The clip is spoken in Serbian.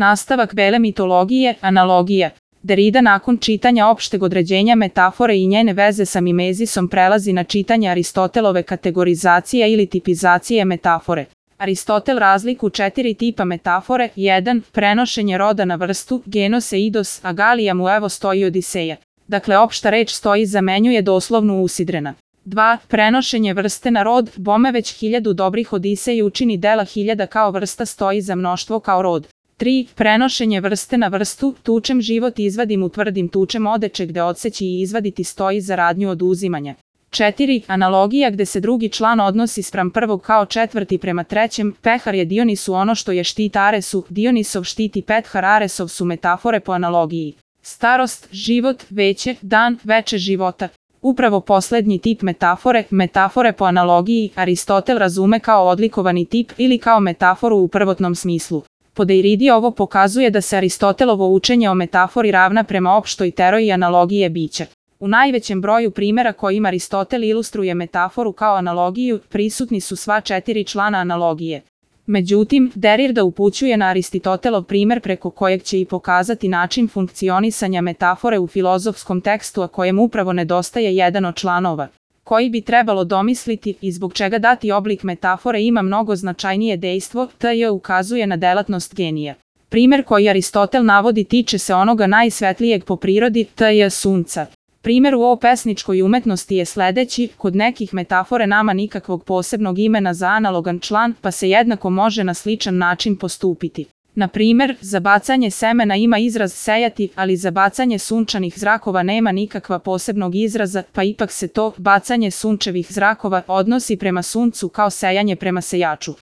Nastavak bele mitologije, analogija. Derrida nakon čitanja opšteg određenja metafore i njene veze sa mimezisom prelazi na čitanje Aristotelove kategorizacije ili tipizacije metafore. Aristotel razliku 4 tipa metafore. 1. Prenošenje roda na vrstu, genos eidos, a Galija mu evo stoji Odiseja. Dakle, opšta reč stoji zamenjuje doslovnu usidrena. 2. Prenošenje vrste na rod, bome već 1000 dobrih Odisej učini dela 1000 kao vrsta stoji za mnoštvo kao rod. 3. Prenošenje vrste na vrstu, tučem život izvadim utvrdim tučem odeče gde odseći i izvaditi stoji za radnju oduzimanja. 4. Analogija gde se drugi član odnosi spram prvog kao četvrti prema trećem, Pehar je Dionisu ono što je štit Aresu, Dionisov štiti Pethar, Aresov su metafore po analogiji. Starost, život, veće, dan, veče života. Upravo poslednji tip metafore po analogiji, Aristotel razume kao odlikovani tip ili kao metaforu u prvotnom smislu. Po Derridi ovo pokazuje da se Aristotelovo učenje o metafori ravna prema opštoj teoriji analogije bića. U najvećem broju primjera kojim Aristotel ilustruje metaforu kao analogiju, prisutni su sva 4 člana analogije. Međutim, Derrida upućuje na Aristotelov primjer preko kojeg će i pokazati način funkcionisanja metafore u filozofskom tekstu, a kojem upravo nedostaje jedan od članova, koji bi trebalo domisliti i zbog čega dati oblik metafore ima mnogo značajnije dejstvo, t.j. ukazuje na delatnost genija. Primjer koji Aristotel navodi tiče se onoga najsvetlijeg po prirodi, t.j. sunca. Primjer u pesničkoj umetnosti je sledeći, kod nekih metafore nama nikakvog posebnog imena za analogan član, pa se jednako može na sličan način postupiti. Na primjer, za bacanje semena ima izraz sejati, ali za bacanje sunčanih zrakova nema nikakva posebnog izraza, pa ipak se to, bacanje sunčevih zrakova, odnosi prema suncu kao sejanje prema sejaču.